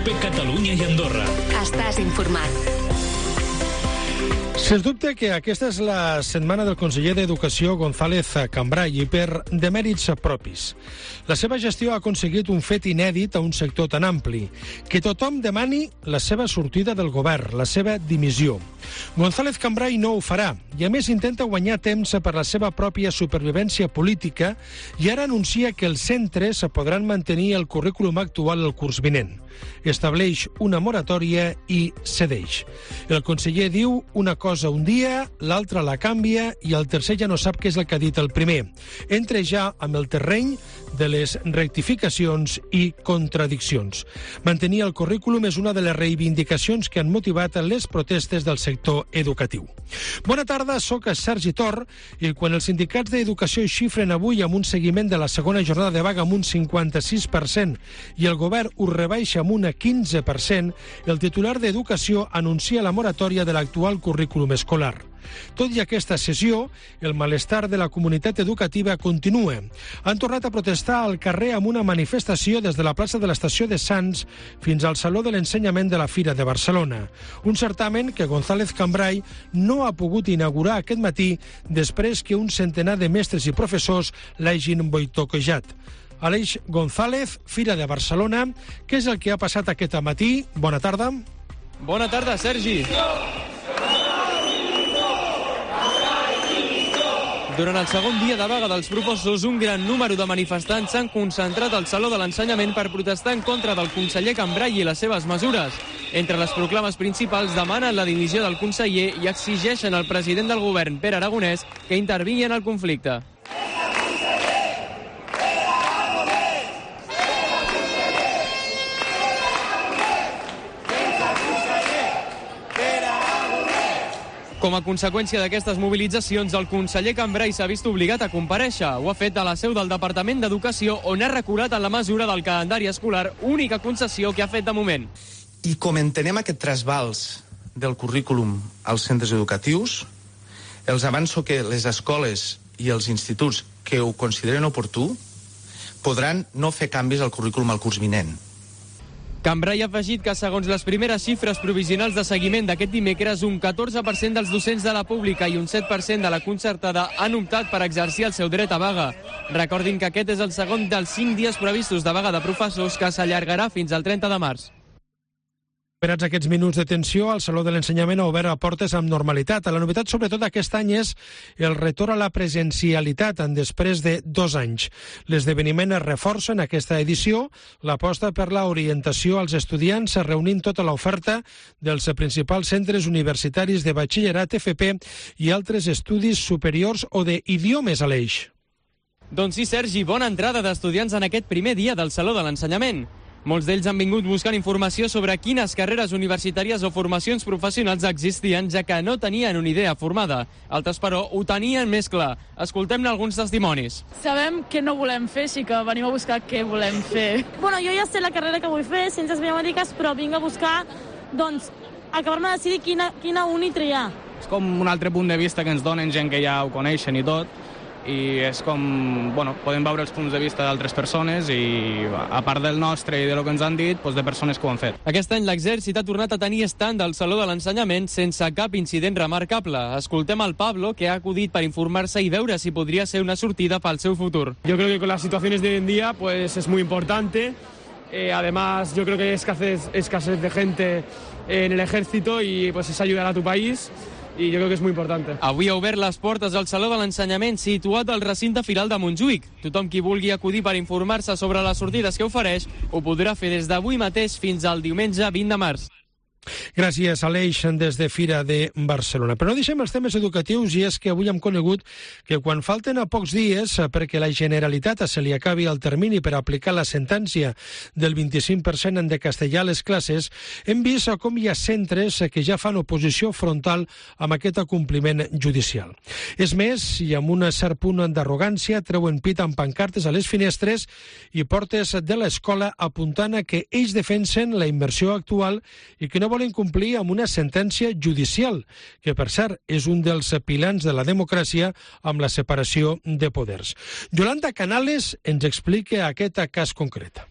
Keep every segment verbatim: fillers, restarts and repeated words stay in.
COPE Catalunya i Andorra. Estàs informat. Sens dubte que aquesta és la setmana del conseller d'Educació González Cambray i per demèrits propis. La seva gestió ha aconseguit un fet inèdit a un sector tan ampli, que tothom demani la seva sortida del govern, la seva dimissió. González Cambray no ho farà i a més intenta guanyar temps per la seva pròpia supervivència política i ara anuncia que els centres podran mantenir el currículum actual el curs vinent. Estableix una moratòria i cedeix. El conseller diu una cosa un dia, l'altra la canvia i el tercer ja no sap què és el que ha dit el primer. Entra ja amb el terreny de les rectificacions i contradiccions. Mantenir el currículum és una de les reivindicacions que han motivat les protestes del sector educatiu. Bona tarda, soc Sergi Tor i quan els sindicats d'educació xifren avui amb un seguiment de la segona jornada de vaga amb un cinquanta-sis per cent i el govern ho rebaixa amb un quinze per cent, el titular d'Educació anuncia la moratòria de l'actual currículum escolar. Tot i aquesta sessió, el malestar de la comunitat educativa continua. Han tornat a protestar al carrer amb una manifestació des de la plaça de l'estació de Sants fins al Saló de l'Ensenyament de la Fira de Barcelona. Un certamen que González Cambray no ha pogut inaugurar aquest matí després que un centenar de mestres i professors l'hagin boicotejat. Aleix González, Fira de Barcelona. Què és el que ha passat aquest matí? Bona tarda. Bona tarda, Sergi. Durant el segon dia de vaga dels professors, un gran número de manifestants s'han concentrat al Saló de l'Ensenyament per protestar en contra del conseller Cambray i les seves mesures. Entre les proclames principals demanen la dimissió del conseller i exigeixen al president del govern, Pere Aragonès, que intervingui en el conflicte. Com a conseqüència d'aquestes mobilitzacions, el conseller Cambray s'ha vist obligat a comparèixer. Ho ha fet a la seu del Departament d'Educació, on ha reculat en la mesura del calendari escolar, única concessió que ha fet de moment. I com entenem aquest trasbals del currículum als centres educatius, els avanço que les escoles i els instituts que ho consideren oportú podran no fer canvis al currículum al curs vinent. Cambray ha afegit que, segons les primeres xifres provisionals de seguiment d'aquest dimecres, un catorze per cent dels docents de la pública i un set per cent de la concertada han optat per exercir el seu dret a vaga. Recordin que aquest és el segon dels cinc dies previstos de vaga de professors que s'allargarà fins al trenta de març. Esperats aquests minuts de tensió, el Saló de l'Ensenyament ha obert a portes amb normalitat. La novetat, sobretot aquest any, és el retorn a la presencialitat en després de dos anys. L'esdeveniment es reforça en aquesta edició l'aposta per l'orientació als estudiants, reunint tota l'oferta dels principals centres universitaris de batxillerat, F P i altres estudis superiors o d'idiomes a l'eix. Doncs sí, Sergi, bona entrada d'estudiants en aquest primer dia del Saló de l'Ensenyament. Molts d'ells han vingut buscant informació sobre quines carreres universitàries o formacions professionals existien, ja que no tenien una idea formada. Altres, però, ho tenien més clar. Escoltem-ne alguns testimonis. Sabem què no volem fer, així que venim a buscar què volem fer. Bueno, jo ja sé la carrera que vull fer, Ciències Biomèdiques, però vinc a buscar, doncs, acabar-me de decidir quina, quina uni triar. És com un altre punt de vista que ens donen gent que ja ho coneixen i tot, i és com, bueno, podem veure els punts de vista d'altres persones i a part del nostre i de lo que ens han dit, doncs de persones que ho han fet. Aquest any l'exèrcit ha tornat a tenir estand al Saló de l'Ensenyament sense cap incident remarcable. Escoltem el Pablo, que ha acudit per informar-se i veure si podria ser una sortida pel seu futur. Yo creo que con las situaciones de hoy en día pues es muy importante. Eh, además, yo creo que hay escasez, escasez de gente en el ejército y pues es ayudar a tu país. I jo crec que és molt important. Avui ha obert les portes al Saló de l'Ensenyament situat al recinte firal de Montjuïc. Tothom qui vulgui acudir per informar-se sobre les sortides que ofereix ho podrà fer des d'avui mateix fins al diumenge vint de març. Gràcies, Aleix, des de Fira de Barcelona. Però no deixem els temes educatius i és que avui hem conegut que quan falten a pocs dies perquè la Generalitat se li acabi el termini per aplicar la sentència del vint-i-cinc per cent de castellà a les classes, hem vist com hi ha centres que ja fan oposició frontal amb aquest acompliment judicial. És més, i amb un cert punt d'arrogància, treuen pit amb pancartes a les finestres i portes de l'escola apuntant a que ells defensen la immersió actual i que no volen complir amb una sentència judicial, que per cert és un dels pilars de la democràcia amb la separació de poders. Yolanda Canales ens explica aquest cas concret.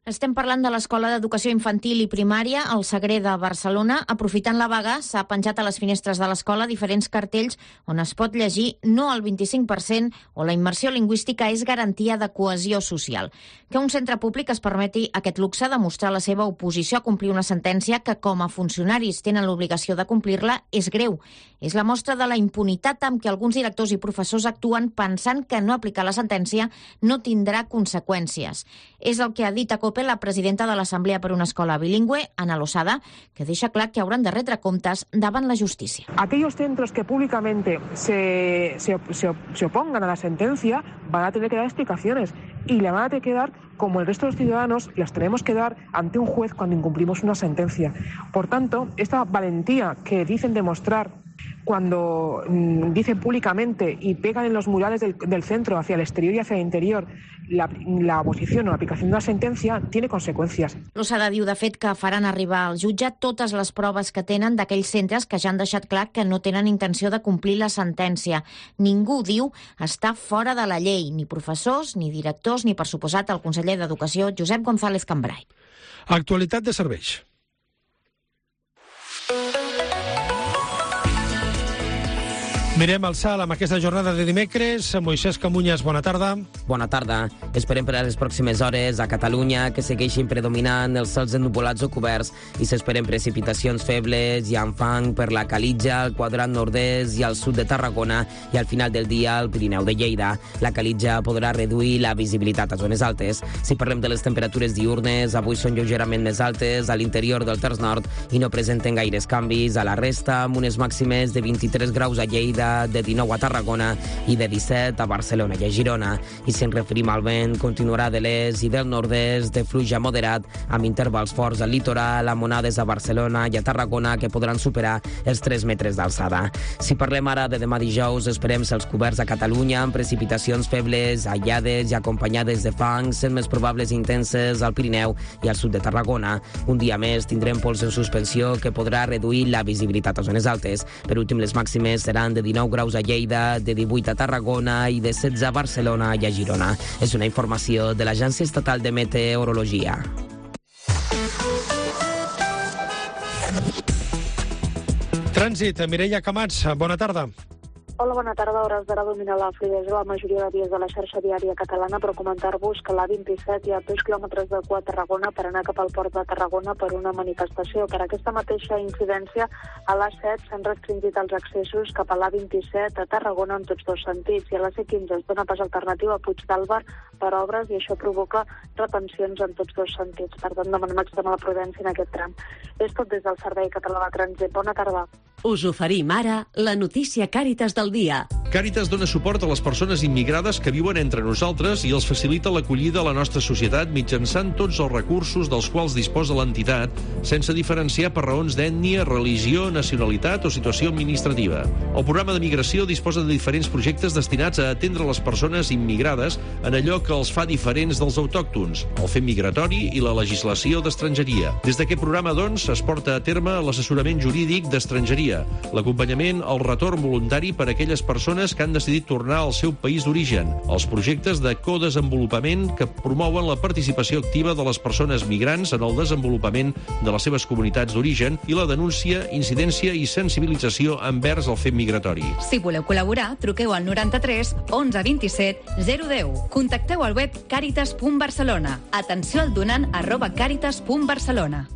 Estem parlant de l'Escola d'Educació Infantil i Primària, al Sagrer de Barcelona. Aprofitant la vaga, s'ha penjat a les finestres de l'escola diferents cartells on es pot llegir no al vint-i-cinc per cent o la immersió lingüística és garantia de cohesió social. Que un centre públic es permeti aquest luxe de mostrar la seva oposició a complir una sentència que, com a funcionaris tenen l'obligació de complir-la, és greu. És la mostra de la impunitat amb què alguns directors i professors actuen pensant que no aplicar la sentència no tindrà conseqüències. És el que ha dit a COPE la presidenta de l'Assemblea per una Escola Bilingüe, Ana Losada, que deixa clar que hauran de retre comptes davant la justícia. Aquellos centros que públicamente se, se, se, se opongan a la sentencia van a tener que dar explicaciones y le van a tener que dar, como el resto de los ciudadanos, las tenemos que dar ante un juez cuando incumplimos una sentencia. Por tanto, esta valentía que dicen demostrar cuando mmm, dicen públicamente y pegan en los murales del, del centro hacia el exterior y hacia el interior la, la oposición o l'aplicació d'una sentència, tiene conseqüències. Losada diu, de fet, que faran arribar al jutge totes les proves que tenen d'aquells centres que ja han deixat clar que no tenen intenció de complir la sentència. Ningú, diu, està fora de la llei, ni professors, ni directors, ni, per suposat, el conseller d'Educació, Josep González Cambray. Actualitat de serveis. Mirem el salt amb aquesta jornada de dimecres. Moisès Camunyes, bona tarda. Bona tarda. Esperem per a les pròximes hores a Catalunya que segueixin predominant els cels ennuvolats o coberts i s'esperen precipitacions febles i amb fang per la Calitja, el quadrant nord-est i al sud de Tarragona i al final del dia al Pirineu de Lleida. La Calitja podrà reduir la visibilitat a zones altes. Si parlem de les temperatures diurnes, avui són lleugerament més altes a l'interior del terç nord i no presenten gaires canvis a la resta, amb unes màximes de vint-i-tres graus a Lleida, de dinou a Tarragona i de disset a Barcelona i a Girona. I si ens referim al vent, continuarà de l'est i del nord-est de fluix moderat, amb intervals forts al litoral, amb onades a Barcelona i a Tarragona que podran superar els tres metres d'alçada. Si parlem ara de demà dijous, esperem cels coberts a Catalunya amb precipitacions febles, aïllades i acompanyades de fang, sent més probables i intenses al Pirineu i al sud de Tarragona. Un dia més tindrem pols en suspensió que podrà reduir la visibilitat a zones altes. Per últim, les màximes seran de dinou graus a Lleida, de divuit a Tarragona i de setze a Barcelona i a Girona. És una informació de l'Agència Estatal de Meteorologia. Trànsit, Mireia Camats, bona tarda. Hola, bona tarda. A hores d'ara domina la fluïdesa la majoria de vies de la xarxa viària catalana, però comentar-vos que a l'A vint-i-set hi ha dos quilòmetres de cua a Tarragona per anar cap al port de Tarragona per una manifestació. Per aquesta mateixa incidència, a l'A set s'han restringit els accessos cap a l'A vint-i-set a Tarragona en tots dos sentits, i a la C quinze es dona pas alternativa a Puigdàlber per obres i això provoca retencions en tots dos sentits. Per tant, demanem extremar la prudència en aquest tram. És tot des del Servei Català de Trànsit. Bona tarda. Us oferim ara la notícia Càritas del dia. Càritas dona suport a les persones immigrades que viuen entre nosaltres i els facilita l'acollida a la nostra societat mitjançant tots els recursos dels quals disposa l'entitat, sense diferenciar per raons d'ètnia, religió, nacionalitat o situació administrativa. El programa de migració disposa de diferents projectes destinats a atendre les persones immigrades en allò que els fa diferents dels autòctons, el fet migratori i la legislació d'estrangeria. Des d'aquest programa, doncs, es porta a terme l'assessorament jurídic d'estrangeria, l'acompanyament al retorn voluntari per a aquelles persones que han decidit tornar al seu país d'origen, els projectes de codesenvolupament que promouen la participació activa de les persones migrants en el desenvolupament de les seves comunitats d'origen i la denúncia, incidència i sensibilització envers el fet migratori. Si voleu col·laborar, truqueu al noranta-tres onze vint-i-set zero deu. Contacteu al web caritas punt barcelona. Atenció al donant arroba caritas punt barcelona.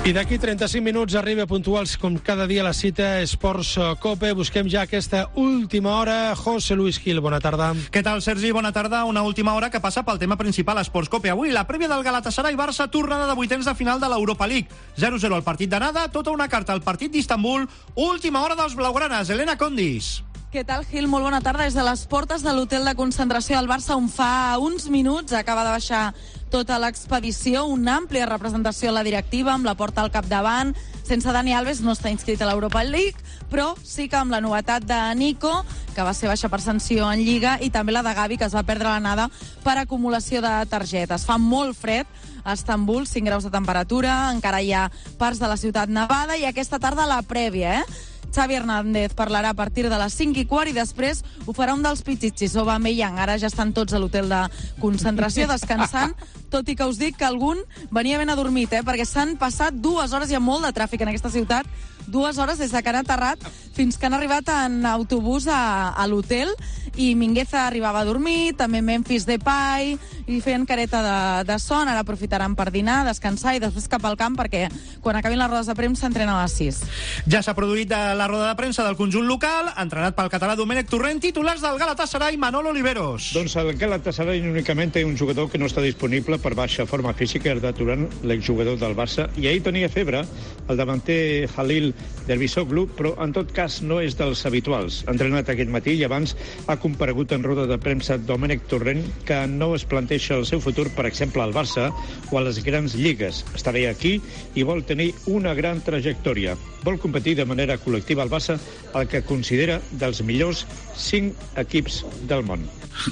I d'aquí trenta-cinc minuts arriba puntuals com cada dia la cita Esports Cope. Busquem ja aquesta última hora. José Luis Gil, bona tarda. Què tal, Sergi? Bona tarda. Una última hora que passa pel tema principal Esports Cope. Avui la prèvia del Galatasaray-Barça, tornada de vuitens de final de l'Europa League. zero zero al partit d'anada, tota una carta al partit d'Istanbul. Última hora dels blaugranes. Elena Condis. Què tal, Gil? Molt bona tarda. Des de les portes de l'hotel de concentració del Barça, on fa uns minuts acaba de baixar tota l'expedició, una àmplia representació a la directiva, amb la porta al capdavant. Sense Dani Alves, no està inscrit a l'Europa League, però sí que amb la novetat de Nico, que va ser baixa per sanció en Lliga, i també la de Gavi, que es va perdre l'anada per acumulació de targetes. Fa molt fred a Istanbul, cinc graus de temperatura, encara hi ha parts de la ciutat nevada, i aquesta tarda la prèvia, eh? Xavi Hernández parlarà a partir de les cinc i quart i després ho farà un dels pitxitxis, Aubameyang. Ara ja estan tots a l'hotel de concentració descansant, tot i que us dic que algun venia ben adormit, eh? perquè s'han passat dues hores, hi ha molt de tràfic en aquesta ciutat, dues hores des de que han aterrat fins que han arribat en autobús a, a l'hotel, i Mingueza arribava a dormir, també Memphis Depay, i feien careta de, de son. Ara aprofitaran per dinar, descansar i després cap al camp, perquè quan acabin les rodes de premsa entrenen a les sis. Ja s'ha produït la roda de premsa del conjunt local, entrenat pel català Domènec Torrent, titulars del Galatasaray, Manolo Oliveros. Doncs el Galatasaray únicament té un jugador que no està disponible per baixa forma física, Arda Turan, l'exjugador del Barça, i ahir tenia febre el davanter Halil Dervisoglu, però en tot cas no és dels habituals. Ha entrenat aquest matí i abans ha comparegut en roda de premsa Domènec Torrent, que no es planteja el seu futur, per exemple, al Barça o a les grans lligues. Està bé aquí i vol tenir una gran trajectòria. Vol competir de manera col·lectiva al Barça, el que considera dels millors cinc equips del món.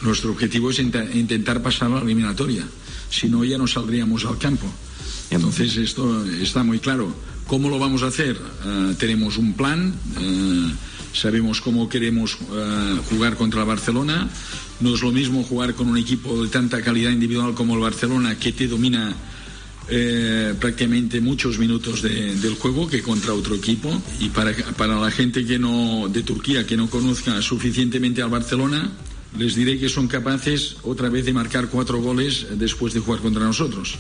Nuestro objetivo es int- intentar pasar a la eliminatoria. Si no, ya no saldríamos al campo. Entonces, esto está muy claro. ¿Cómo lo vamos a hacer? Uh, tenemos un plan, uh, sabemos cómo queremos uh, jugar contra el Barcelona. No es lo mismo jugar con un equipo de tanta calidad individual como el Barcelona, que te domina eh, prácticamente muchos minutos de, del juego, que contra otro equipo. Y para, para la gente que no, de Turquía que no conozca suficientemente al Barcelona, les diré que son capaces otra vez de marcar cuatro goles después de jugar contra nosotros.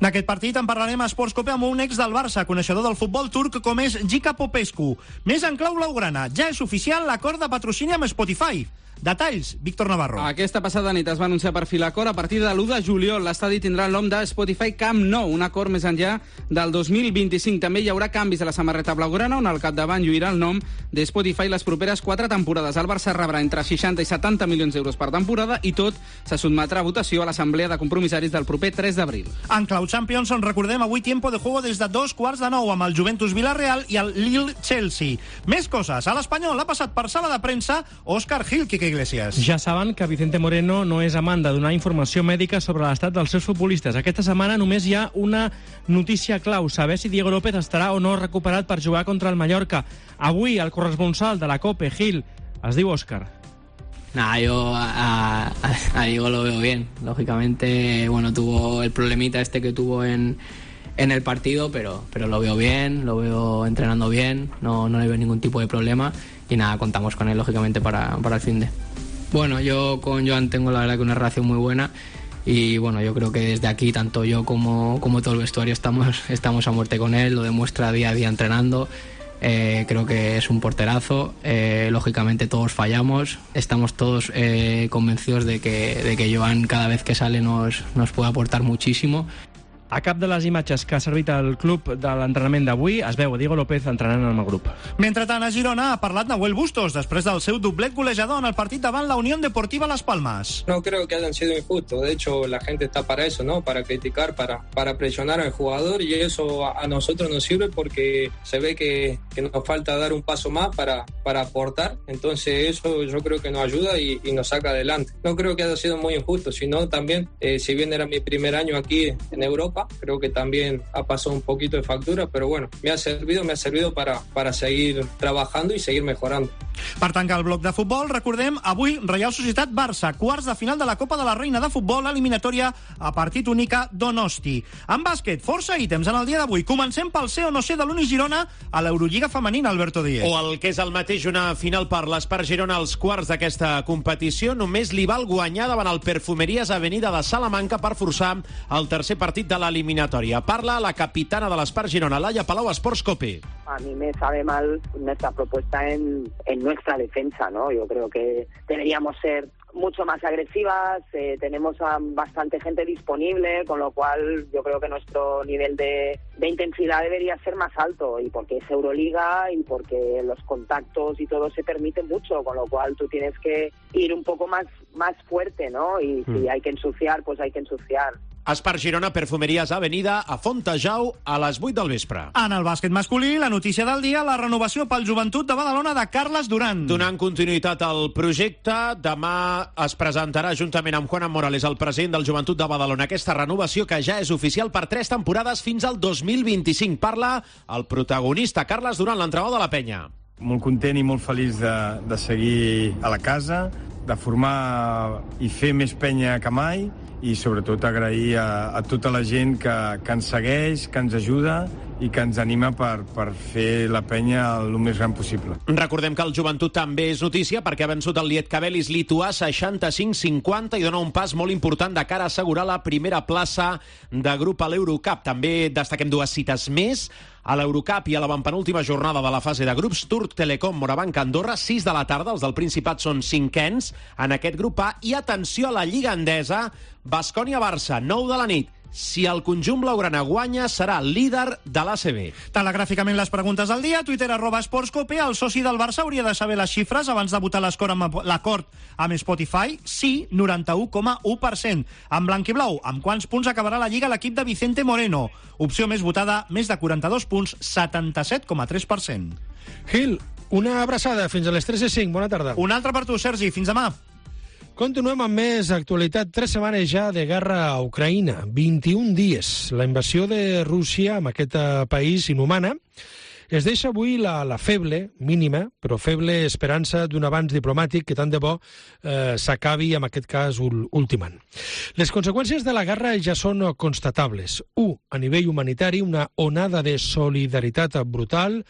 D'aquest partit en parlarem a Sports Cope amb un ex del Barça, coneixedor del futbol turc com és Gica Popescu. Més en clau blaugrana, ja és oficial l'acord de patrocini amb Spotify. Detalls, Víctor Navarro. Aquesta passada nit es va anunciar per fi l'acord. A partir de l'u de juliol l'estadi tindrà el nom de Spotify Camp Nou, un acord més enllà del dos mil vint-i-cinc. També hi haurà canvis a la samarreta blaugrana, on al capdavant lluirà el nom de Spotify les properes quatre temporades. El Barça rebrà entre seixanta i setanta milions d'euros per temporada i tot se sotmetrà a votació a l'assemblea de compromissaris del proper tres d'abril. En clau Champions, on recordem avui tiempo de juego des de dos quarts de nou amb el Juventus Villarreal i el Lille Chelsea. Més coses. A l'Espanyol ha passat per sala de premsa Òscar Gil, Quique Iglesias. Ja saben que Vicente Moreno no és amant de donar informació mèdica sobre l'estat dels seus futbolistes. Aquesta setmana només hi ha una notícia clau, saber si Diego López estarà o no recuperat per jugar contra el Mallorca. Avui el corresponsal de la COPE, Gil, es diu Òscar. Nah, yo a, a, a Diego lo veo bien. Lógicamente, bueno, tuvo el problemita este que tuvo en, en el partido, pero, pero lo veo bien, lo veo entrenando bien, no, no le veo ningún tipo de problema y nada, contamos con él, lógicamente, para, para el finde. Bueno, yo con Joan tengo la verdad que una relación muy buena y bueno, yo creo que desde aquí, tanto yo como, como todo el vestuario estamos, estamos a muerte con él, lo demuestra día a día entrenando. Eh, creo que es un porterazo, eh, lógicamente todos fallamos, estamos todos eh, convencidos de que, de que Joan cada vez que sale nos, nos puede aportar muchísimo. A cap de les imatges que ha servit el club de l'entrenament d'avui es veu a Diego López entrenant amb el grup. Mentrestant, a Girona ha parlat Nahuel Bustos després del seu doblet golejador en el partit davant la Unión Deportiva Las Palmas. No creo que hayan sido injustos. De hecho, la gente está para eso, ¿no? Para criticar, para, para presionar al jugador, y eso a, a nosotros nos sirve porque se ve que, que nos falta dar un paso más para, para aportar. Entonces eso yo creo que nos ayuda y, y nos saca adelante. No creo que haya sido muy injusto, sino también, eh, si bien era mi primer año aquí en Europa, creo que también ha pasado un poquito de factura, pero bueno, me ha servido, me ha servido para, para seguir trabajando y seguir mejorando. Per tancar el bloc de futbol, recordem avui Reial Societat Barça, quarts de final de la Copa de la Reina de Futbol, eliminatòria a partit única Donosti. En bàsquet, força ítems en el dia d'avui. Comencem pel ser o no ser de l'Uni Girona a l'Eurolliga femenina, Alberto Díez. O el que és el mateix, una final per l'Espar Girona als quarts d'aquesta competició. Només li val guanyar davant el Perfumerías Avenida de Salamanca per forçar el tercer partit de l'eliminatòria. Parla la capitana de l'Espar Girona, Laia Palau, Sports Cope. A mí me sabe mal nuestra propuesta en, en nuestra defensa, ¿no? Yo creo que deberíamos ser mucho más agresivas, eh, tenemos a bastante gente disponible, con lo cual yo creo que nuestro nivel de, de intensidad debería ser más alto, y porque es Euroliga y porque los contactos y todo se permite mucho, con lo cual tú tienes que ir un poco más, más fuerte, ¿no? Y mm. si hay que ensuciar, pues hay que ensuciar. Espar Girona, Perfumerías Avenida, a Fontejau, a les vuit del vespre. En el bàsquet masculí, la notícia del dia, la renovació pel Joventut de Badalona de Carles Duran. Donant continuïtat al projecte, demà es presentarà juntament amb Juan Morales, el president del Joventut de Badalona, aquesta renovació que ja és oficial per tres temporades fins al dos mil vint-i-cinc. Parla el protagonista, Carles Duran, l'entrenador de la Penya. Molt content i molt feliç de, de seguir a la casa, de formar i fer més penya que mai i sobretot agrair a, a tota la gent que, que ens segueix, que ens ajuda i que ens anima per, per fer la penya el més gran possible. Recordem que el Joventut també és notícia perquè ha vençut el Lietkabelis lituà seixanta-cinc cinquanta i dona un pas molt important de cara a assegurar la primera plaça de grup a l'Eurocup. També destaquem dues cites més. A l'Eurocup i a l'avantpenúltima jornada de la fase de grups, Turc Telecom, Morabanc, Andorra, sis de la tarda, els del Principat són cinquens en aquest grup A, i atenció a la Lliga Endesa, Baskonia-Barça, nou de la nit. Si el conjunt blaugrana guanya, serà líder de l'A C B. Telegràficament les preguntes del dia, Twitter arroba esportscope. El soci del Barça hauria de saber les xifres abans de votar l'acord amb Spotify. Sí, noranta-u coma u per cent. En blanc i blau, amb quants punts acabarà la Lliga l'equip de Vicente Moreno? Opció més votada, més de quaranta-dos punts, setanta-set coma tres per cent. Gil, una abraçada. Fins a les tres i cinc. Bona tarda. Una altra per tu, Sergi. Fins demà. Continuem amb més actualitat. Tres setmanes ja de guerra a Ucraïna. vint-i-un dies. La invasió de Rússia en aquest país inhumana es deixa avui la, la feble, mínima, però feble esperança d'un avanç diplomàtic que tant de bo eh, s'acabi, en aquest cas, ultimant. Les conseqüències de la guerra ja són constatables. U, a nivell humanitari, una onada de solidaritat brutal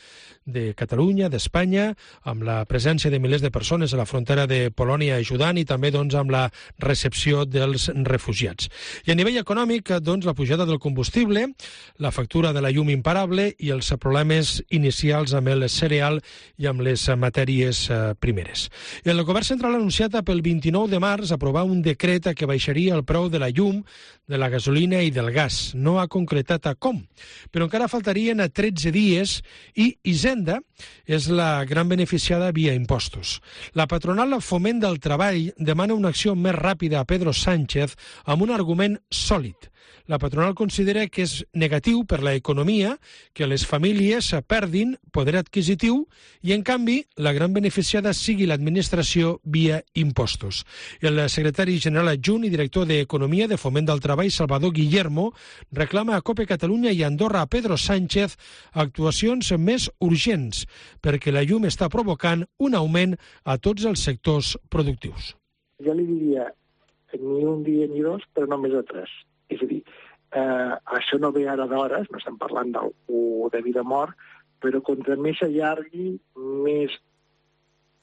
de Catalunya, d'Espanya, amb la presència de milers de persones a la frontera de Polònia ajudant i també doncs, amb la recepció dels refugiats. I a nivell econòmic, doncs, la pujada del combustible, la factura de la llum imparable i els problemes inicials amb el cereal i amb les matèries primeres. El govern central ha anunciat pel vint-i-nou de març aprovar un decret que baixaria el preu de la llum, de la gasolina i del gas. No ha concretat a com, però encara faltarien a tretze dies i Hisenda és la gran beneficiada via impostos. La patronal Foment del Treball demana una acció més ràpida a Pedro Sánchez amb un argument sòlid. La patronal considera que és negatiu per la economia que les famílies perdin poder adquisitiu i, en canvi, la gran beneficiada sigui l'administració via impostos. El secretari general adjunt i director d'Economia de Foment del Treball, Salvador Guillermo, reclama a COPE Catalunya i Andorra a Pedro Sánchez actuacions més urgents perquè la llum està provocant un augment a tots els sectors productius. Jo li diria ni un dia ni dos, però no més de tres. És a dir, eh, això no ve ara d'hores, no estem parlant del de vida o mort, però contra més s'allargui, més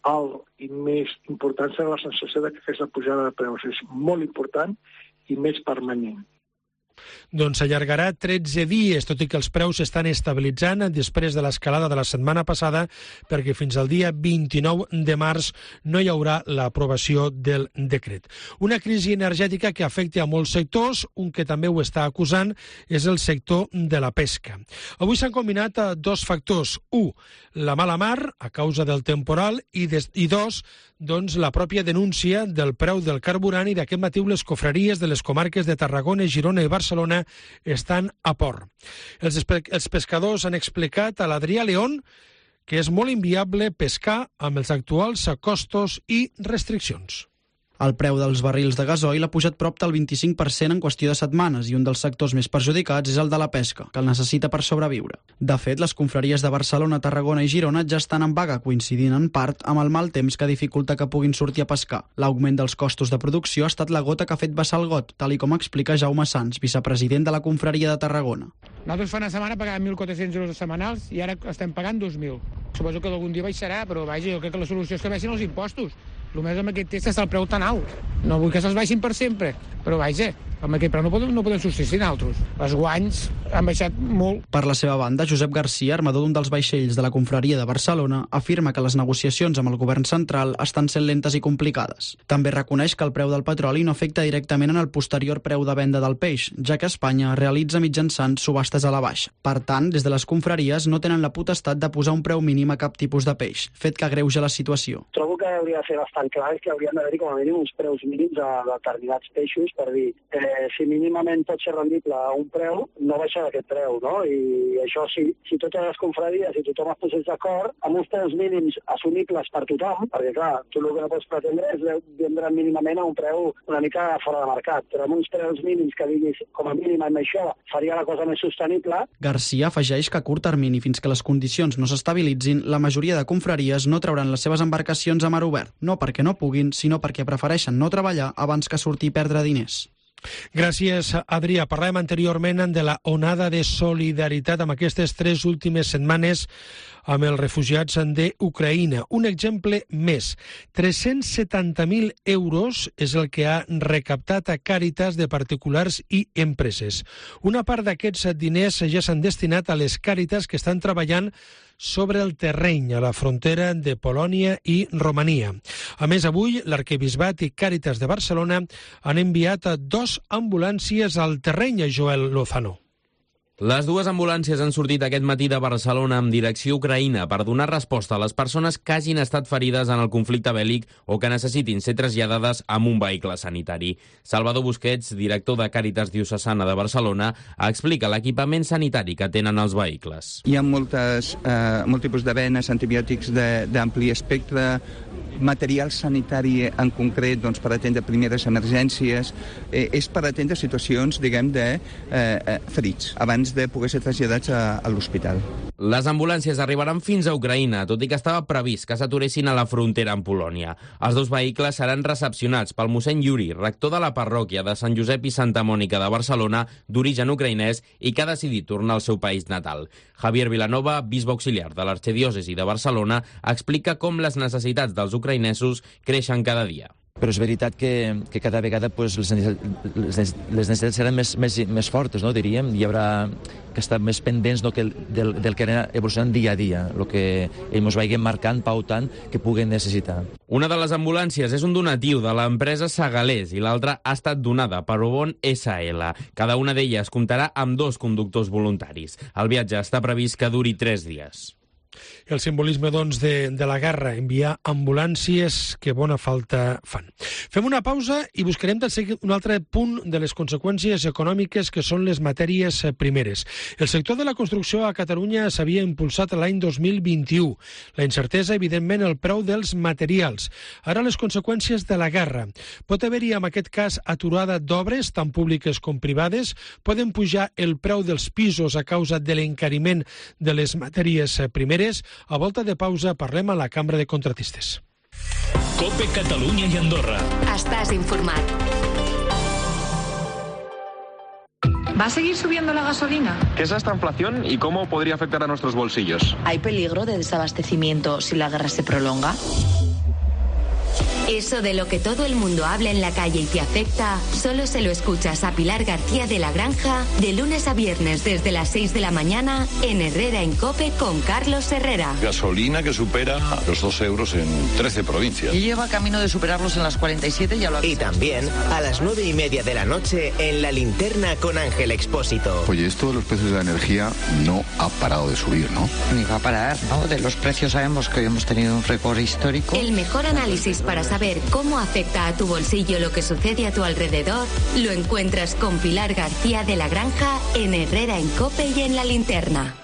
alt i més important serà la sensació de que aquesta pujada de preus és molt important i més permanent. Doncs s'allargarà tretze dies, tot i que els preus s'estan estabilitzant després de l'escalada de la setmana passada, perquè fins al dia vint-i-nou de març no hi haurà l'aprovació del decret. Una crisi energètica que afecta a molts sectors, un que també ho està acusant és el sector de la pesca. Avui s'han combinat dos factors. Un, la mala mar, a causa del temporal, i, des, i dos, doncs, la pròpia denúncia del preu del carburant, i d'aquest matí les cofreries de les comarques de Tarragona, Girona i Barcelona estan a port. Els, els pescadors han explicat a l'Adrià León que és molt inviable pescar amb els actuals costos i restriccions. El preu dels barrils de gasoil ha pujat prop del vint-i-cinc per cent en qüestió de setmanes i un dels sectors més perjudicats és el de la pesca, que el necessita per sobreviure. De fet, les confraries de Barcelona, Tarragona i Girona ja estan en vaga, coincidint en part amb el mal temps que dificulta que puguin sortir a pescar. L'augment dels costos de producció ha estat la gota que ha fet vessar el got, tal i com explica Jaume Sans, vicepresident de la confraria de Tarragona. Nosaltres fa una setmana pagàvem mil quatre-cents euros setmanals i ara estem pagant dos mil. Suposo que algun dia baixarà, però vaja, jo crec que la solució és que baixin els impostos. El més amb aquest test està el preu tan alt. No vull que se'ls baixin per sempre, però vaja, amb aquest preu no podem, no podem subsistir altres. Els guanys han baixat molt. Per la seva banda, Josep Garcia, armador d'un dels vaixells de la confraria de Barcelona, afirma que les negociacions amb el govern central estan sent lentes i complicades. També reconeix que el preu del petroli no afecta directament en el posterior preu de venda del peix, ja que Espanya realitza mitjançant subhastes a la baixa. Per tant, des de les confraries no tenen la potestat de posar un preu mínim a cap tipus de peix, fet que agreuja la situació. Trobo que hauria de ser bastant clar que haurien d'haver-hi com a mínim uns preus mínims a determinats peixos per dir eh, si mínimament pot ser rendible a un preu, no baixa d'aquest preu, no? I això, si, si totes les confraries, si tothom es posés d'acord, amb uns preus mínims assumibles per tothom, perquè, clar, tu el que no pots pretendre és vendre mínimament a un preu una mica fora de mercat, però amb uns preus mínims que diguis, com a mínim amb això, faria la cosa més sostenible. Garcia afegeix que a curt termini, fins que les condicions no s'estabilitzin, la majoria de confraries no trauran les seves embarcacions a mar obert, no perquè no puguin, sinó perquè prefereixen no treballar abans que sortir i perdre diners. Gràcies, Adrià. Parlàvem anteriorment de la onada de solidaritat amb aquestes tres últimes setmanes amb els refugiats d'Ucraïna. Un exemple més. tres-cents setanta mil euros és el que ha recaptat a Càritas de particulars i empreses. Una part d'aquests diners ja s'han destinat a les Càritas que estan treballant sobre el terreny a la frontera de Polònia i Romania. A més, avui l'Arquebisbat i Càritas de Barcelona han enviat dos ambulàncies al terreny, a Joel Lozano. Les dues ambulàncies han sortit aquest matí de Barcelona amb direcció a Ucraïna per donar resposta a les persones que hagin estat ferides en el conflicte bèl·lic o que necessitin ser traslladades amb un vehicle sanitari. Salvador Busquets, director de Càritas Diocesana de Barcelona, explica l'equipament sanitari que tenen els vehicles. Hi ha moltes, eh, molt tipus de venes, antibiòtics d'ampli espectre, material sanitari en concret doncs, per atendre primeres emergències, eh, és per atendre situacions, diguem, de eh, ferits, abans de poder ser traslladats a, a l'hospital. Les ambulàncies arribaran fins a Ucraïna, tot i que estava previst que s'aturessin a la frontera amb Polònia. Els dos vehicles seran recepcionats pel mossèn Yuri, rector de la parròquia de Sant Josep i Santa Mònica de Barcelona, d'origen ucraïnès i que ha decidit tornar al seu país natal. Javier Vilanova, bisbe auxiliar de l'arxidiòcesi de Barcelona, explica com les necessitats dels ucraïnesos creixen cada dia. Però és veritat que, que cada vegada pues, les, les, les necessitats seran més, més, més fortes, no, diríem. Hi haurà que estar més pendents no, que del, del que anem evolucionant dia a dia, el que ells ens vagin marcant, pautant, que puguen necessitar. Una de les ambulàncies és un donatiu de l'empresa Segalés i l'altra ha estat donada per Obon essa ele. Cada una d'elles comptarà amb dos conductors voluntaris. El viatge està previst que duri tres dies. El simbolisme, doncs, de, de la guerra, enviar ambulàncies que bona falta fan. Fem una pausa i buscarem del seguit un altre punt de les conseqüències econòmiques que són les matèries primeres. El sector de la construcció a Catalunya s'havia impulsat l'any dos mil vint-i-u. La incertesa, evidentment, el preu dels materials. Ara les conseqüències de la guerra. Pot haver-hi, en aquest cas, aturada d'obres, tant públiques com privades. Poden pujar el preu dels pisos a causa de l'encariment de les matèries primeres. A volta de pausa parlem a la Cambra de Contratistes. COPE Catalunya i Andorra. Estás informat. ¿Va a seguir subiendo la gasolina? ¿Qué es esta inflación y cómo podría afectar a nuestros bolsillos? ¿Hay peligro de desabastecimiento si la guerra se prolonga? Eso de lo que todo el mundo habla en la calle y te afecta, solo se lo escuchas a Pilar García de la Granja de lunes a viernes desde las seis de la mañana en Herrera en COPE con Carlos Herrera. Gasolina que supera los dos euros en trece provincias. Y lleva camino de superarlos en las cuarenta y siete, ya lo ha Y también a las nueve y media de la noche en La Linterna con Ángel Expósito. Oye, esto de los precios de la energía no ha parado de subir, ¿no? Ni va a parar, ¿no? De los precios sabemos que hoy hemos tenido un récord histórico. El mejor análisis para saber cómo afecta a tu bolsillo lo que sucede a tu alrededor lo encuentras con Pilar García de la Granja en Herrera en COPE y en La Linterna.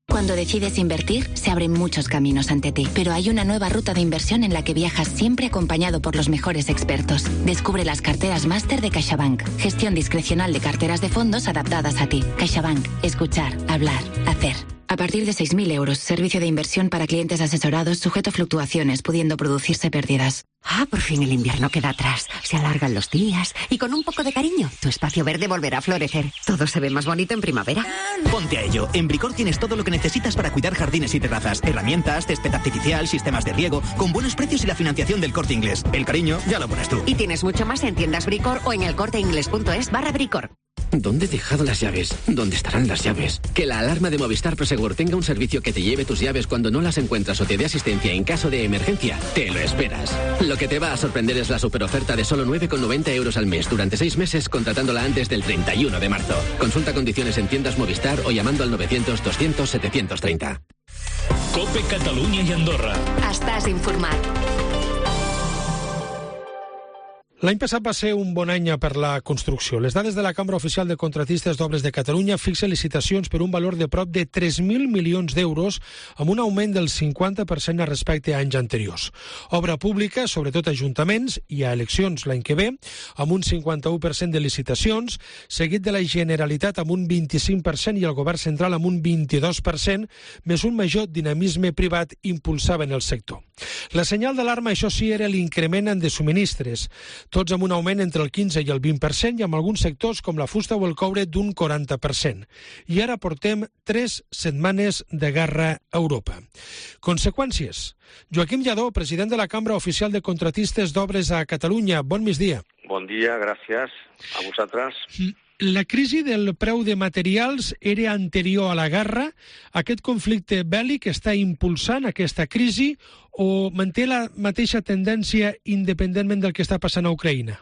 Cuando decides invertir, se abren muchos caminos ante ti, pero hay una nueva ruta de inversión en la que viajas siempre acompañado por los mejores expertos. Descubre las carteras máster de CaixaBank, gestión discrecional de carteras de fondos adaptadas a ti. CaixaBank, escuchar, hablar, hacer. A partir de seis mil euros, servicio de inversión para clientes asesorados sujeto a fluctuaciones, pudiendo producirse pérdidas. Ah, por fin el invierno queda atrás. Se alargan los días y con un poco de cariño, tu espacio verde volverá a florecer. Todo se ve más bonito en primavera. Ponte a ello. En Bricor tienes todo lo que necesitas para cuidar jardines y terrazas. Herramientas, césped artificial, sistemas de riego, con buenos precios y la financiación del Corte Inglés. El cariño ya lo pones tú. Y tienes mucho más en tiendas Bricor o en elcorteingles.es barra Bricor. ¿Dónde he dejado las llaves? ¿Dónde estarán las llaves? Que la alarma de Movistar Prosegur tenga un servicio que te lleve tus llaves cuando no las encuentras o te dé asistencia en caso de emergencia. Te lo esperas. Lo que te va a sorprender es la superoferta de solo nueve con noventa euros al mes durante seis meses contratándola antes del treinta y uno de marzo. Consulta condiciones en tiendas Movistar o llamando al novecientos doscientos setecientos treinta. COPE Catalunya i Andorra. Estàs informat. L'any passat va ser un bon any per la construcció. Les dades de la Cambra Oficial de Contratistes d'Obres de Catalunya fixen licitacions per un valor de prop de tres mil milions d'euros, amb un augment del cinquanta per cent respecte a anys anteriors. Obra pública, sobretot ajuntaments, i a eleccions l'any que ve, amb un cinquanta-u per cent de licitacions, seguit de la Generalitat amb un vint-i-cinc per cent i el Govern Central amb un vint-i-dos per cent, més un major dinamisme privat impulsaven el sector. La senyal d'alarma, això sí, era l'increment de subministres, tots amb un augment entre el quinze i el vint per cent i amb alguns sectors com la fusta o el coure d'un quaranta per cent. I ara portem tres setmanes de guerra a Europa. Conseqüències. Joaquim Lladó, president de la Cambra Oficial de Contratistes d'Obres a Catalunya. Bon migdia. Bon dia, gràcies a vosaltres. La crisi del preu de materials era anterior a la guerra. Aquest conflicte bèl·lic està impulsant aquesta crisi o manté la mateixa tendència independentment del que està passant a Ucraïna?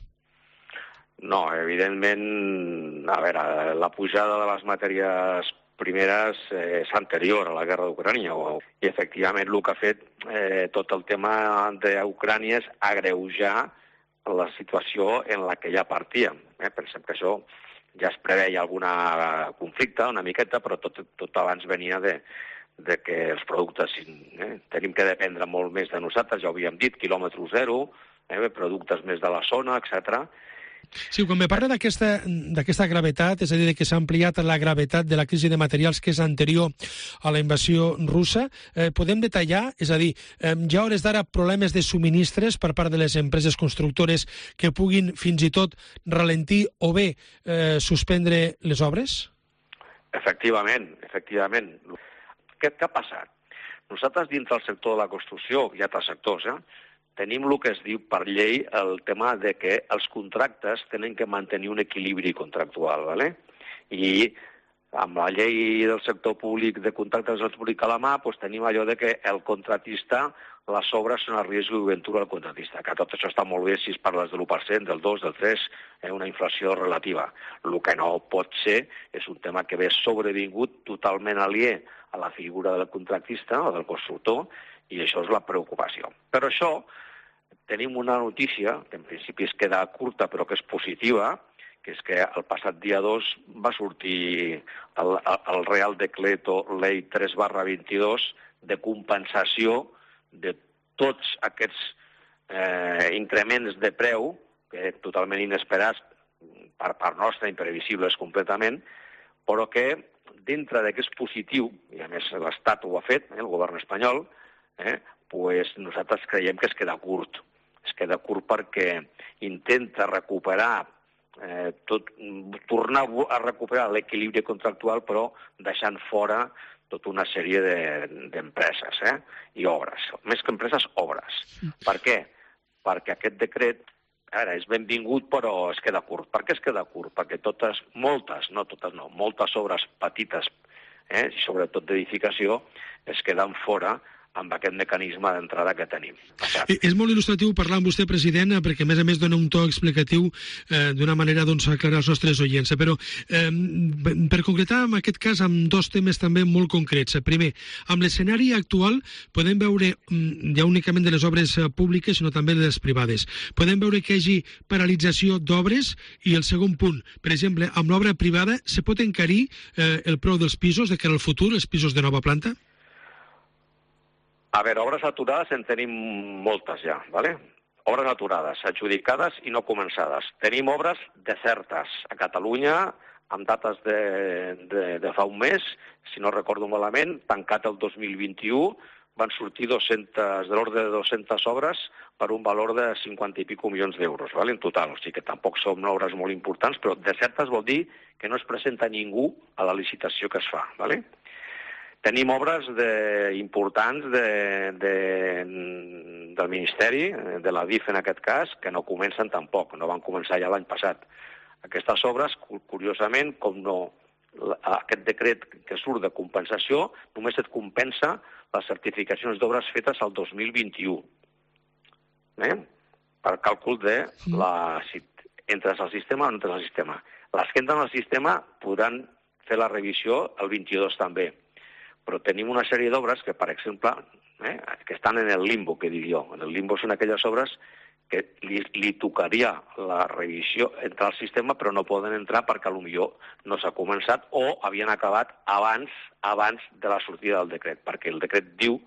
No, evidentment, a veure, la pujada de les matèries primeres és anterior a la guerra d'Ucrània i efectivament el que ha fet eh, tot el tema d'Ucrània és agreujar la situació en la que ja partíem. Eh? Pensem que això ja es preveia algun conflicte, una miqueta, però tot, tot abans venia de, de que els productes eh, tenim que dependre molt més de nosaltres, ja ho havíem dit, quilòmetre zero, eh, productes més de la zona, etcètera. Sí, quan me parla d'aquesta d'aquesta gravetat, és a dir, que s'ha ampliat la gravetat de la crisi de materials que és anterior a la invasió russa, eh, podem detallar? És a dir, eh, hi ha hores d'ara problemes de subministres per part de les empreses constructores que puguin fins i tot ralentir o bé eh, suspendre les obres? Efectivament, efectivament. Què, què ha passat? Nosaltres, dins del sector de la construcció, hi ha altres sectors, eh? tenim el que es diu per llei el tema de que els contractes tenen que mantenir un equilibri contractual, ¿vale? I amb la llei del sector públic de contractes del públic a la mà doncs tenim allò de que el contratista, les obres són a risc i ventura del contratista, que tot això està molt bé si es parles de l'u per cent, del dos, del tres, eh, una inflació relativa. El que no pot ser és un tema que ve sobrevingut totalment aliè a la figura del contractista o del constructor, i això és la preocupació. Però això, tenim una notícia, que en principi es queda curta però que és positiva, que és que el passat dia dos va sortir el, el Real Decreto Ley tres barra vint-i-dos de compensació de tots aquests eh, increments de preu, que totalment inesperats per part nostra, imprevisibles completament, però que dintre de que és positiu, i a més l'Estat ho ha fet, eh, el govern espanyol, Eh, pues nosaltres creiem que es queda curt. Es queda curt perquè intenta recuperar, eh, tot, tornar a recuperar l'equilibri contractual, però deixant fora tota una sèrie d'empreses de, eh, i obres. Més que empreses, obres. Per què? Perquè aquest decret ara és benvingut, però es queda curt. Per què es queda curt? Perquè totes, moltes, no totes no, moltes obres petites, eh, i sobretot d'edificació, es queden fora amb aquest mecanisme d'entrada que tenim. És molt il·lustratiu parlar amb vostè, president, perquè a més a més dona un to explicatiu eh, d'una manera doncs, aclarar els nostres oients. Però eh, per concretar en aquest cas amb dos temes també molt concrets. Primer, amb l'escenari actual podem veure, ja únicament de les obres públiques, sinó també de les privades, podem veure que hi hagi paralització d'obres i el segon punt, per exemple, amb l'obra privada se pot encarir eh, el preu dels pisos de cara al futur, els pisos de nova planta? A veure, obres aturades en tenim moltes ja, ¿vale? Obres aturades, adjudicades i no començades. Tenim obres desertes a Catalunya, amb dates de, de, de fa un mes, si no recordo malament, tancat el dos mil vint-i-u, van sortir dues-centes, de l'ordre de dues-centes obres per un valor de cinquanta i pico milions d'euros, ¿vale? En total. O sigui que tampoc són obres molt importants, però desertes vol dir que no es presenta ningú a la licitació que es fa, ¿vale? Tenim obres de, importants de, de, del Ministeri, de la D I F en aquest cas, que no comencen tampoc, no van començar ja l'any passat. Aquestes obres, curiosament, com no aquest decret que surt de compensació, només et compensa les certificacions d'obres fetes el dos mil vint-i-u. Eh? Per càlcul de la, si entres al sistema o no entres al sistema. Les que entren al sistema podran fer la revisió el vint-i-dos també. Però tenim una sèrie d'obres que, per exemple, eh, que estan en el limbo, que dic jo. En el limbo són aquelles obres que li, li tocaria la revisió, entrar al sistema, però no poden entrar perquè potser no s'ha començat o havien acabat abans abans de la sortida del decret, perquè el decret diu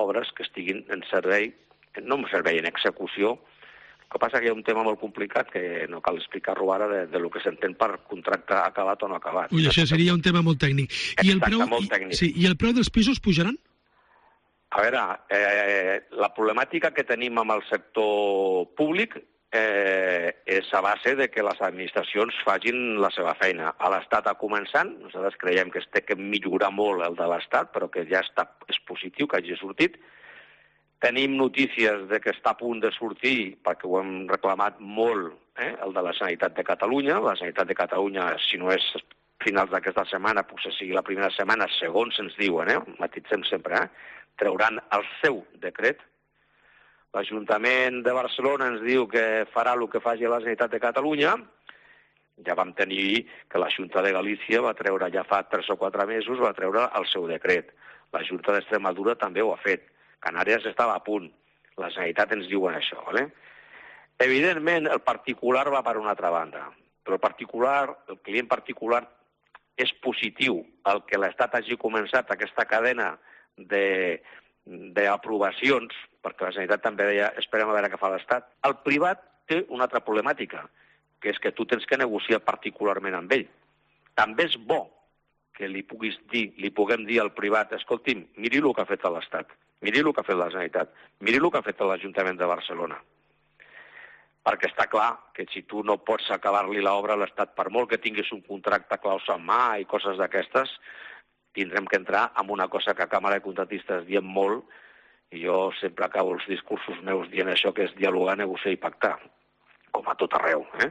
obres que estiguin en servei, no en servei, en execució. El que passa que hi ha un tema molt complicat que no cal explicar-ho ara de, de lo que s'entén per contracte acabat o no acabat. Ui, això seria un tema molt tècnic. I el preu, molt tècnic. Sí, I el preu dels pisos pujaran? A veure, eh, la problemàtica que tenim amb el sector públic eh, és a base de que les administracions facin la seva feina. A l'Estat ha començant, nosaltres creiem que es té que millorar molt el de l'Estat, però que ja està, és positiu que hagi sortit. Tenim notícies de que està a punt de sortir, perquè ho hem reclamat molt, eh, el de la Generalitat de Catalunya. La Generalitat de Catalunya, si no és finals d'aquesta setmana, potser sigui la primera setmana, segons ens diuen, eh, matitzem sempre, eh, trauran el seu decret. L'Ajuntament de Barcelona ens diu que farà el que faci la Generalitat de Catalunya. Ja vam tenir que la Junta de Galícia va treure, ja fa tres o quatre mesos, va treure el seu decret. La Junta d'Extremadura també ho ha fet. Canàries estava a punt. La Generalitat ens diuen això, ¿vale? Evidentment, el particular va per una altra banda, però el particular, el client particular, és positiu el que l'Estat hagi començat aquesta cadena d'aprovacions, perquè la Generalitat també deia esperem a veure què fa l'Estat. El privat té una altra problemàtica, que és que tu tens que negociar particularment amb ell. També és bo que li puguis dir, li puguem dir al privat, escolti'm, miri el que ha fet l'Estat, miri el que ha fet la Generalitat, miri el que ha fet l'Ajuntament de Barcelona. Perquè està clar que si tu no pots acabar-li l'obra a l'Estat, per molt que tinguis un contracte claus en mà i coses d'aquestes, tindrem que entrar en una cosa que a Càmera de Contractistes diem molt, i jo sempre acabo els discursos meus dient això, que és dialogar, negociar i pactar, com a tot arreu. Eh?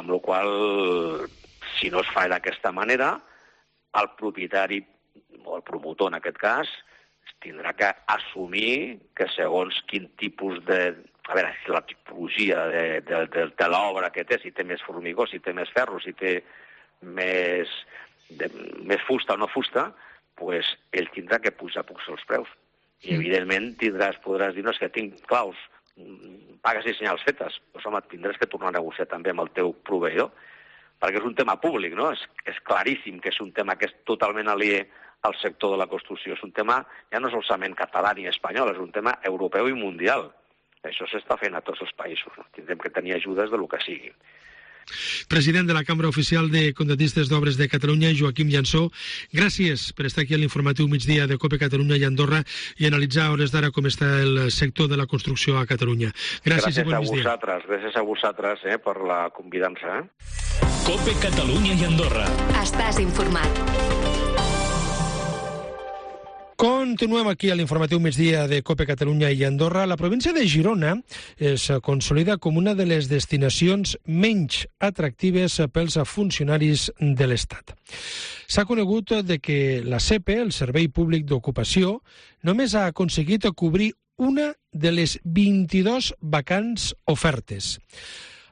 Amb la qual cosa, si no es fa d'aquesta manera, el propietari, o el promotor en aquest cas, tindrà que assumir que segons quin tipus de... A veure, si la tipologia de, de, de, de l'obra que té, si té més formigó, si té més ferro, si té més, de, més fusta o no fusta, pues ell tindrà que pujar pocs els preus. I, evidentment, tindràs, podràs dir, no, és que tinc claus, pagues i senyals fetes. Doncs, home, tindràs que tornar a negociar també amb el teu proveïdor, perquè és un tema públic, no? És, és claríssim que és un tema que és totalment aliè al sector de la construcció. És un tema ja no solament català ni espanyol, és un tema europeu i mundial. Això s'està fent a tots els països. No? Tindrem que tenir ajudes de lo que sigui. President de la Cambra Oficial de Contractistes d'Obres de Catalunya, Joaquim Llansó, gràcies per estar aquí a l'informatiu migdia de COPE Catalunya i Andorra i analitzar a hores d'ara com està el sector de la construcció a Catalunya. Gràcies, gràcies i bon a migdia. vosaltres, gràcies a vosaltres eh, per la convidança. Eh? COPE Catalunya i Andorra. Estàs informat. Continuem aquí a l'informatiu migdia de COPE Catalunya i Andorra. La província de Girona es consolida com una de les destinacions menys atractives pels funcionaris de l'Estat. S'ha conegut de que la S E P E, el Servei Públic d'Ocupació, només ha aconseguit cobrir una de les vint-i-dues vacants ofertes.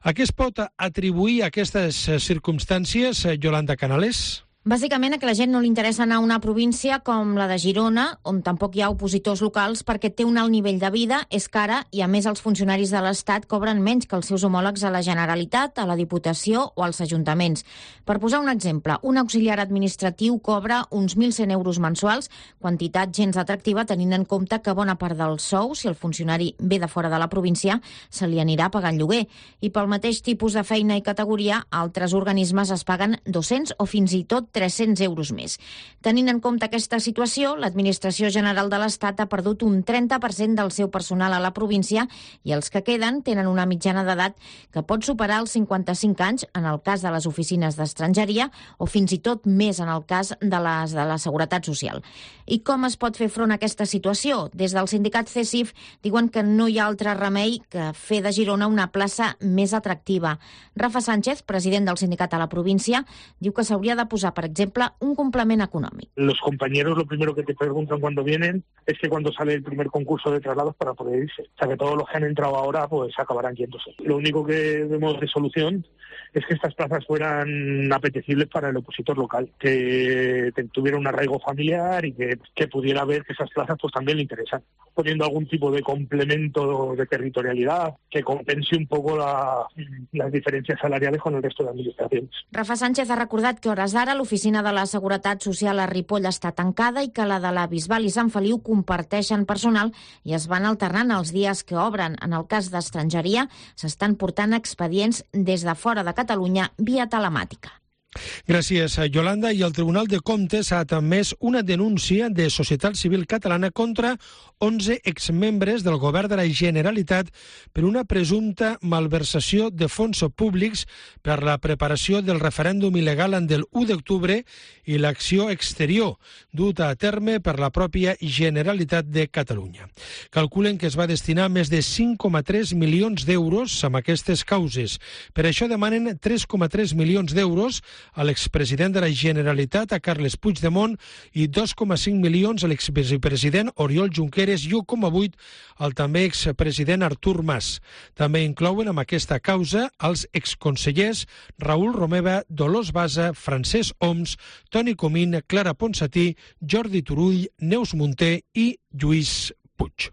A què es pot atribuir aquestes circumstàncies, Yolanda Canales? Bàsicament a que la gent no li interessa anar a una província com la de Girona, on tampoc hi ha opositors locals, perquè té un alt nivell de vida, és cara i, a més, els funcionaris de l'Estat cobren menys que els seus homòlegs a la Generalitat, a la Diputació o als ajuntaments. Per posar un exemple, un auxiliar administratiu cobra uns mil cent euros mensuals, quantitat gens atractiva tenint en compte que bona part del sou, si el funcionari ve de fora de la província, se li anirà pagant lloguer. I pel mateix tipus de feina i categoria, altres organismes es paguen dos-cents o fins i tot tres-cents euros més. Tenint en compte aquesta situació, l'Administració General de l'Estat ha perdut un trenta per cent del seu personal a la província i els que queden tenen una mitjana d'edat que pot superar els cinquanta-cinc anys en el cas de les oficines d'estrangeria o fins i tot més en el cas de les de la Seguretat Social. I com es pot fer front a aquesta situació? Des del sindicat C E S I F diuen que no hi ha altre remei que fer de Girona una plaça més atractiva. Rafa Sánchez, president del sindicat a la província, diu que s'hauria de posar per per exemple, un complement econòmic. Los compañeros lo primero que te preguntan cuando vienen es que cuando sale el primer concurso de traslados para poder irse. O sea, que todos los que han entrado ahora pues acabarán yéndose. Lo único que vemos de solución es que estas plazas fueran apetecibles para el opositor local, que tuviera un arraigo familiar y que, que pudiera ver que esas plazas pues también le interesan, poniendo algún tipo de complemento de territorialidad que compense un poco la, las diferencias salariales con el resto de administraciones. Rafa Sánchez ha recordat que a hores d'ara l'oficina de la Seguretat Social a Ripoll està tancada i que la de la Bisbal i Sant Feliu comparteixen personal i es van alternant els dies que obren. En el cas d'estrangeria, s'estan portant expedients des de fora de Catalunya via telemàtica. Gràcies, Yolanda. I el Tribunal de Comptes ha admès una denúncia de Societat Civil Catalana contra onze exmembres del govern de la Generalitat per una presumpta malversació de fons públics per la preparació del referèndum il·legal del u d'octubre i l'acció exterior duta a terme per la pròpia Generalitat de Catalunya. Calculen que es va destinar més de cinc coma tres milions d'euros amb aquestes causes. Per això demanen tres coma tres milions d'euros a l'expresident de la Generalitat, a Carles Puigdemont, i dos coma cinc milions a l'exvicepresident Oriol Junqueras i u coma vuit al també expresident Artur Mas. També inclouen amb aquesta causa els exconsellers Raül Romeva, Dolors Bassa, Francesc Homs, Toni Comín, Clara Ponsatí, Jordi Turull, Neus Munté i Lluís Puig.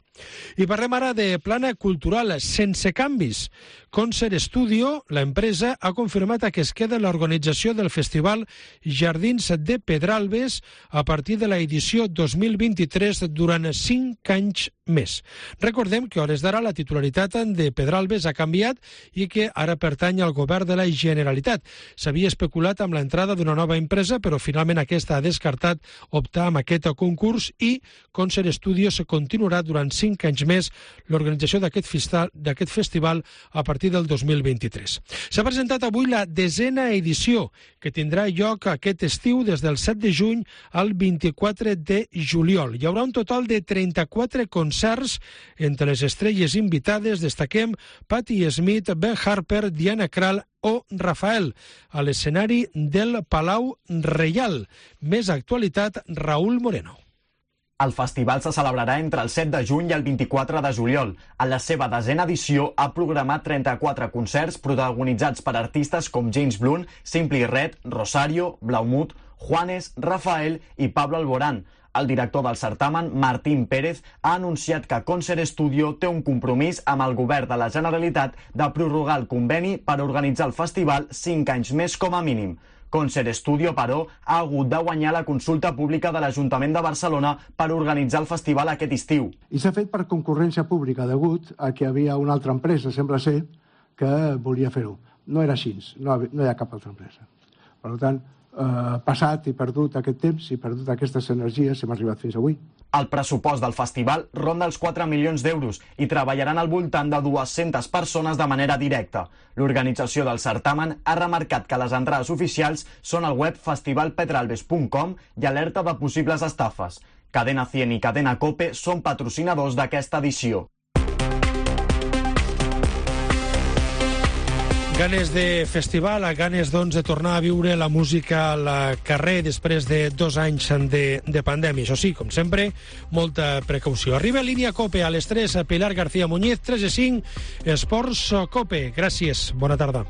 I parlem ara de plana cultural sense canvis. Concert Studio, la empresa, ha confirmat que es queda l'organització del festival Jardins de Pedralbes a partir de l'edició dos mil vint-i-tres durant cinc anys més. Recordem que a hores d'ara la titularitat de Pedralbes ha canviat i que ara pertany al govern de la Generalitat. S'havia especulat amb l'entrada d'una nova empresa, però finalment aquesta ha descartat optar amb aquest concurs i Concert Studios continuarà durant cinc anys més l'organització d'aquest festival a partir del dos mil vint-i-tres. S'ha presentat avui la desena edició, que tindrà lloc aquest estiu des del set de juny al vint-i-quatre de juliol. Hi haurà un total de trenta-quatre concerts. Entre les estrelles invitades destaquem Patti Smith, Ben Harper, Diana Krall o Rafael, a l'escenari del Palau Reial. Més actualitat, Raúl Moreno. El festival se celebrarà entre el set de juny i el vint-i-quatre de juliol. En la seva desena edició ha programat trenta-quatre concerts protagonitzats per artistes com James Blunt, Simply Red, Rosario, Blaumut, Juanes, Rafael i Pablo Alborán. El director del certamen, Martín Pérez, ha anunciat que Concert Studio té un compromís amb el govern de la Generalitat de prorrogar el conveni per organitzar el festival cinc anys més com a mínim. Concert Studio, però, ha hagut de guanyar la consulta pública de l'Ajuntament de Barcelona per organitzar el festival aquest estiu. I s'ha fet per concurrència pública, degut a que hi havia una altra empresa, sembla ser, que volia fer-ho. No era així, no, no hi ha cap altra empresa. Per tant, eh, passat i perdut aquest temps i perdut aquestes energies, hem arribat fins avui. El pressupost del festival ronda els quatre milions d'euros i treballaran al voltant de dues-centes persones de manera directa. L'organització del certamen ha remarcat que les entrades oficials són al web festival pedralbes punt com i alerta de possibles estafes. Cadena cien i Cadena Cope són patrocinadors d'aquesta edició. Ganes de festival, ganes doncs de tornar a viure la música al carrer després de dos anys de, de pandèmia. Això sí, com sempre, molta precaució. Arriba Línia Cope a les tres, a Pilar García Muñiz, tres i cinc, Esports Cope. Gràcies, bona tarda.